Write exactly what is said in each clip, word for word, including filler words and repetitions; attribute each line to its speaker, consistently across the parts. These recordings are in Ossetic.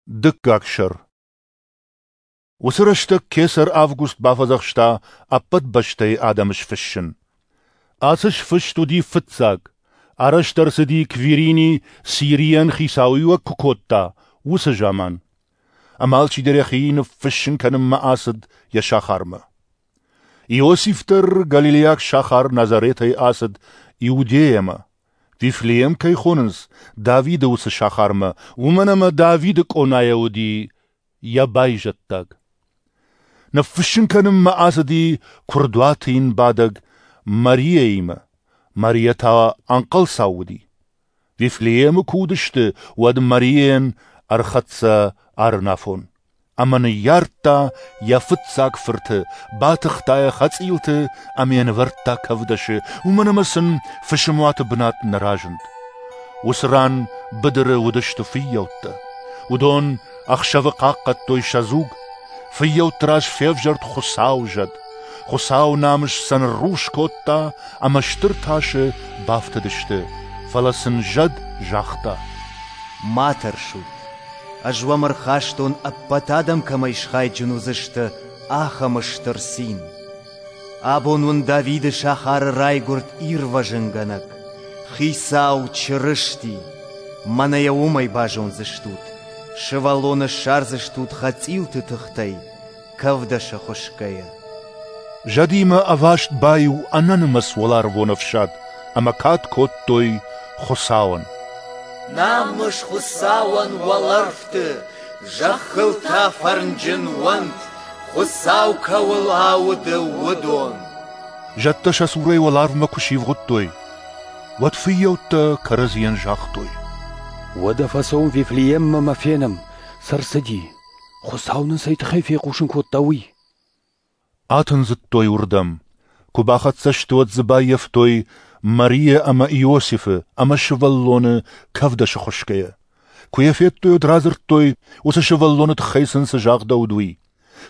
Speaker 1: Дыккаг сӕр. Уыцы рӕстӕг кесӕр Август бафӕдзӕхста ӕппӕт бӕстӕйы адӕмы сфыссын. Ацы сфыст уыди фыццаг, арӕзт ӕрцыди Квирини Сирийӕн хицауиуӕг куы кодта, уыцы заман. Ӕмӕ алчидӕр йӕхи ныффыссын кӕнынмӕ ацыд йӕ сахармӕ. Иосиф дӕр галилейаг сахар Назаретӕй ацыд Иудейӕмӕ, Вифлеем кӕй хонынц, Давиды уыцы сахармӕ, уымӕн ӕмӕ Давиды къонайӕ уыди йӕ байзӕддаг. Ныффыссын кӕнынмӕ ацыди куырдуаты йын бадӕг Мариаимӕ. Мариа та ӕнхъӕлцау уыди. Вифлеемы куы уыдысты, уӕд Мариайӕн ӕрхӕццӕ арынафон. Ӕмӕ ныййардта йӕ фыццаг фырты, батыхта йӕ хӕцъилты ӕмӕ йӕ нывӕрдта кӕвдӕсы, уымӕн ӕмӕ сын фысымуаты бынат нӕ разынд. Уыцы ран быдыры уыдысты фыййӕуттӕ. Уыдон ӕхсӕвы хъахъхъӕдтой сӕ дзуг. Фыййӕутты раз февзӕрд Хуыцауы зӕд. Хуыцауы намыс сӕ ныррухс кодта ӕмӕ стыр тасы бафтыдысты. Фӕлӕ сын зӕд загъта:
Speaker 2: Ма тӕрсут, ӕз уӕм ӕрхастон, ӕппӕт адӕм кӕмӕй схайджын уыдзысты, ахӕм стыр цин. Абон уын Давиды сахары райгуырд Ирвӕзынгӕнӕг, Хицау Чырысти. Мӕнӕ йӕ уымӕй базондзыстут, сывӕллоны ссардзыстут хӕцъилты тыхтӕй, кӕвдӕсы хуысгӕйӕ.
Speaker 1: Зӕдимӕ ӕваст баиу ӕнӕнымӕц уӕларвон ӕфсад ӕмӕ кад кодтой Хуыцауӕн.
Speaker 3: Намыс Хуыцауӕн уӕлӕрвты, зӕххыл та фӕрнджын уӕнт, Хуыцау кӕуыл ауды, уыдон.
Speaker 1: Зӕдтӕ сӕ цурӕй уӕларвмӕ куы сивгъуыдтой, уӕд фыййӕуттӕ кӕрӕдзийӕн загътой:
Speaker 4: Уӕдӕ фӕцӕуӕм Вифлееммӕ ӕмӕ фенӕм, цы ӕрцыди, Хуыцау нын цӕй тыххӕй фехъусын кодта, уый.
Speaker 1: Атындзыдтой уырдӕм. Куы бахӕццӕ сты, уӕд дзы баййӕфтой Мариа ӕмӕ Иосифы ӕмӕ сывӕллоны кӕвдӕсы хуысгӕйӕ. Куы йӕ федтой, уӕд радзырдтой, уыцы сывӕллоны тыххӕй сын цы загъдӕуыд, уый.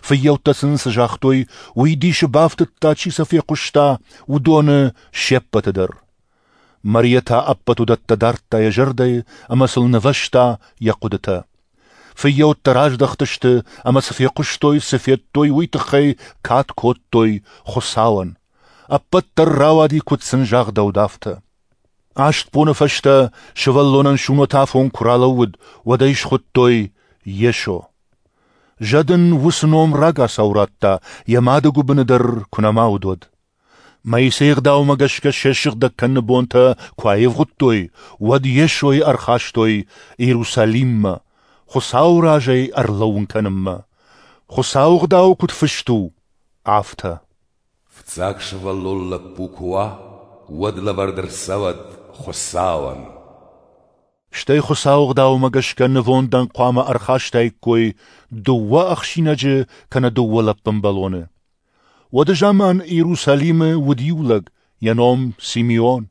Speaker 1: Фыййӕуттӕ сын цы загътой, уый дисы бафтыдта, чи сӕ фехъуыста, уыдоны се ппӕты дӕр. Мариа та ӕппӕт уыдӕттӕ дардта йӕ зӕрдӕйы ӕмӕ сыл нывӕзта йӕ хъуыдытӕ. Фыййӕуттӕ раздӕхтысты ӕмӕ цы фехъуыстой, цы федтой, уый тыххӕй кад кодтой Хуыцауӕн. Ӕппӕт дӕр рауади, куыд сын загъдӕуыд, афтӕ. Аст боны фӕстӕ сывӕллонӕн сунӕтафон куы ралӕууыд, уӕд ӕй схуыдтой Йесо. Зӕд ын уыцы ном рагацау радта, йӕ мады гуыбыны дӕр куы нӕма уыд, уӕд. Моисейы ӕгъдаумӕ гӕсгӕ се ссыгъдӕг кӕныны бонтӕ куы аивгъуыдтой, уӕд Йесойы ӕрхастой Иерусалиммӕ, Хуыцауы разӕй ӕрлӕууын кӕнынмӕ. Хуыцауы ӕгъдауы куыд фыст у, афтӕ.
Speaker 5: Фыццаг сывӕллон лӕппу куы уа, уӕд лӕвӕрд ӕрцӕуӕд Хуыцауӕн.
Speaker 1: Стӕй Хуыцауы ӕгъдаумӕ гӕсгӕ нывондӕн хъуамӕ ӕрхастаиккой дыууӕ ӕхсинӕджы кӕнӕ дыууӕ лӕппын бӕлоны. Уӕды заман Иерусалимы уыд иу лӕг, йӕ ном Симеон.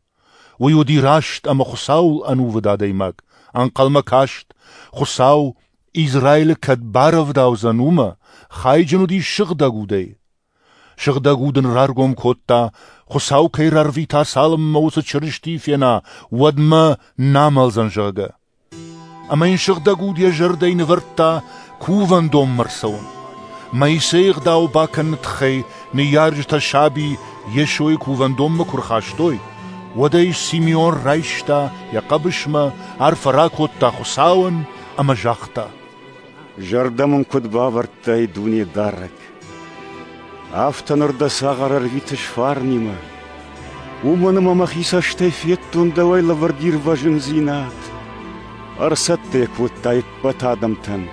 Speaker 1: Уый уыди раст ӕмӕ Хуыцауыл ӕнувыд адӕймаг, ӕнхъӕлмӕ каст, Хуыцау Израилы кӕд барӕвдаудзӕн, уымӕ, хайджын уыди сыгъдӕг удӕй. Сыгъдӕг уд ын раргом кодта, Хуыцау кӕй рарвита, цалынмӕ уыцы Чырыстийы фена, уӕдмӕ нӕ амӕлдзӕн, зӕгъгӕ. Ӕмӕ йын сыгъдӕг уд йӕ зӕрдӕйы нывӕрдта кувӕндонмӕ ӕрцӕуын. Моисейы ӕгъдау бакӕныны тыххӕй ныййарджытӕ саби Йесойы кувӕндонмӕ куы рхастой, уӕд ӕй Симеон райста йӕ хъӕбысмӕ, арфӕ ракодта Хуыцауӕн ӕмӕ загъта:
Speaker 6: Зӕрдӕ мын куыд бавӕрдтай, Дунедарӕг, афтӕ ныр дӕ цагъар ӕрвитыс фарнимӕ, уымӕн ӕмӕ мӕхи цӕстӕй федтон дӕуӕй лӕвӕрд ирвӕзындзинад. Ӕрцӕттӕ йӕ кодтай ӕппӕт адӕмтӕн.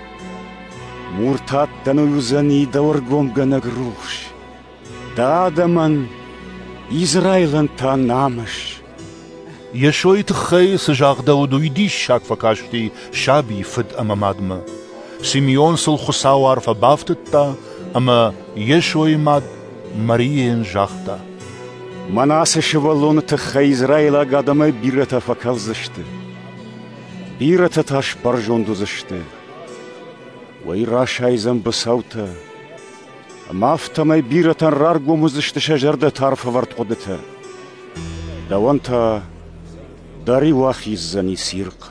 Speaker 6: Муртаттӕн уый уыдзӕни дӕу ӕргомгӕнӕг рухс, дӕ адӕмӕн, Израилӕн та намыс.
Speaker 1: Йесойы тыххӕй цы загъдӕуыд, уый диссаг фӕкасти сабийы фыд ӕмӕ мадмӕ. Симеон сыл Хуыцауы арфӕ бафтыдта ӕмӕ Йесойы мад Мариайӕн загъта:
Speaker 6: Мӕнӕ ацы сывӕллоны тыххӕй израилаг адӕмӕй бирӕтӕ фӕкӕлдзысты, бирӕтӕ та сбӕрзонд уыдзысты. Уый расайдзӕн быцӕутӕ, ӕмӕ афтӕмӕй бирӕтӕн раргом уыдзысты сӕ зӕрдӕты арфӕвӕрд хъуыдытӕ. Дӕуӕн та дӕр-иу ахиздзӕни цирхъ.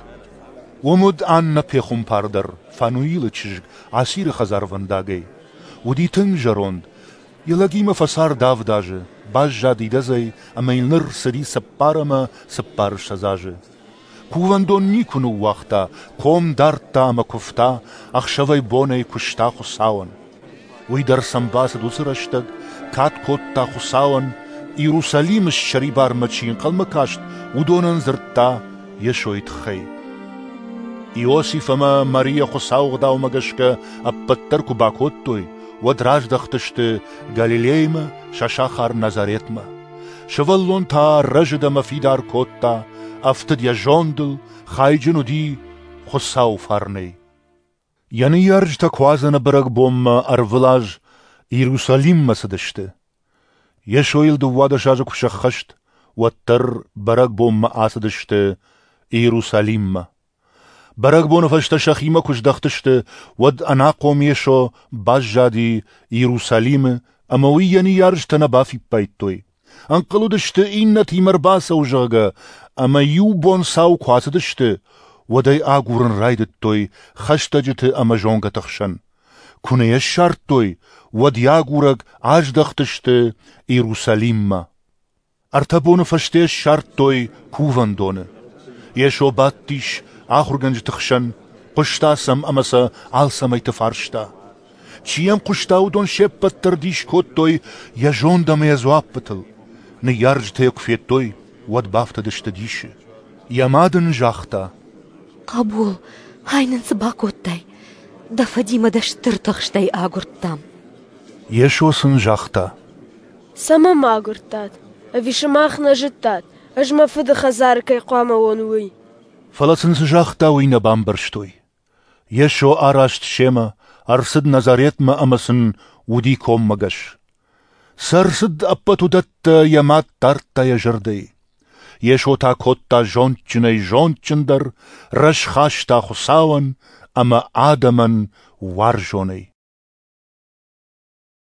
Speaker 1: Уым уыд Аннӕ пехуымпар дӕр, Фануилы чызг, Асиры хӕдзарвӕндагӕй. Уыди тынг зӕронд. Йӕ лӕгимӕ фӕцард авд азы, баззад идӕдзӕй ӕмӕ йыл ныр цыди цыппар ӕмӕ цыппарыссӕдз азы. Кувӕндон никуы ныууагъта, ком дардта ӕмӕ куывта, ӕхсӕвӕй-бонӕй куыста Хуыцауӕн. Уый дӕр сӕм бацыд уыцы рӕстӕг, кад кодта Хуыцауӕн, Иерусалимы ссӕрибармӕ чи ӕнхъӕлмӕ каст, уыдонӕн дзырдта Йесойы тыххӕй. Иосиф ӕмӕ Мария Хуыцауы ӕгъдаумӕ гӕсгӕ ӕппӕт дӕр куы бакодтой, уӕд раздӕхтысты Галилеймӕ, сӕ сахар Назаретмӕ. Сывӕллон та рӕзыд ӕмӕ фидар кодта, ӕфтыд йӕ зондыл, хайджын уыди Хуыцауы фарнӕй. Йӕ ныййарджытӕ Куадзӕны бӕрӕгбонмӕ ӕрвылаз Иерусалиммӕ цыдысты. Йесойыл дыууадӕс азы куы сӕххӕст, уӕддӕр бӕрӕгбонмӕ ацыдысты Иерусалиммӕ. Бӕрӕгбоны фӕстӕ сӕхимӕ куы здӕхтысты, уӕд ӕнахъом Йесо баззади Иерусалимы, ӕмӕ уый йӕ ныййарджытӕ нӕ бафиппайдтой. Ӕнхъӕл уыдысты, иннӕтимӕ ӕрбацӕуы, зӕгъгӕ, ӕмӕ иу бон цау куы ацыдысты, уӕд ӕй агурын райдыдтой хӕстӕджыты ӕмӕ зонгӕты хсӕн. Куы нӕ йӕ ссардтой, уӕд йӕ агурӕг аздӕхтысты Иерусалиммӕ. Ӕртӕ боны фӕстӕ ссардтой кувӕндоны. Йесо бадтис ахуыргӕнджыты хсӕн, хъуыста сӕм ӕмӕ сӕ алцӕмӕйты фарста. Чи йӕм хъуыста, уыдон се ппӕт дӕр дис кодтой йӕ зонд ӕмӕ йӕ дзуаппытыл. Ныййарджытӕ йӕ куы федтой, уӕд бафтыдысты дисы. Йӕ мад ын загъта:
Speaker 7: Хъӕбул, ай нын цы бакодтай? Дӕ фыдимӕ дӕ стыр тыхстӕй агуырдтам.
Speaker 1: Йесо сын загъта:
Speaker 8: Цӕмӕ мӕ агуырдтат? Ӕви сымах нӕ зыдтат, ӕз мӕ фыды хӕдзары кӕй хъуамӕ уон, уый?
Speaker 1: Фӕлӕ сын цы загъта, уый нӕ бамбӕрстой. Йесо араст семӕ, ӕрцыд Назаретмӕ ӕмӕ сын уыди коммӕгӕс. Цы ӕрцыд, ӕппӕт уыдӕттӕ йӕ мад дардта йӕ зӕрдӕйы. Йесо та кодта зондджынӕй зондджындӕр, рӕз хаста Хуыцауӕн ӕмӕ адӕмӕн уарзонӕй.